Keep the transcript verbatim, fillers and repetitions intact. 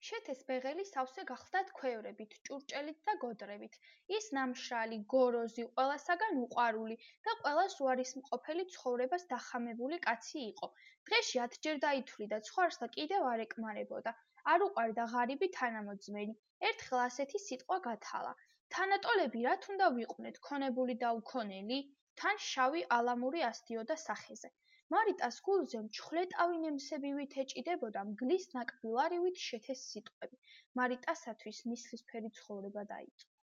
შეთეს ბეღელი სავსე გახლდათ ქვევრებით, ჭურჭელით და გოდრებით. ის ნამშრალი, გოროზი, ყველასაგან უყვარული და ყველას უარისმყოფელი ცხოვრებას დახამებული კაცი იყო. დღეში ათჯერ დაითვლიდა ცხვარს და კიდევ არ ეკმარებოდა. არ უყვარდა ღარიბი თანამოძმენი. ერთხელ ასეთი სიტყვა გათალა: თანატოლები რათ უნდა ვიყვნეთ, ქონებული და უქონელი? თან შავი ალამური ასდიოდა სახეზე. მარიტას გულზე მჩხვლეტავი ნემსებივით ეჭიდებოდა მგლის ნაკბილარივით შეთეს სიტყვები. მარიტასათვის ნისლისფერი ცხოვრება დაიწყო.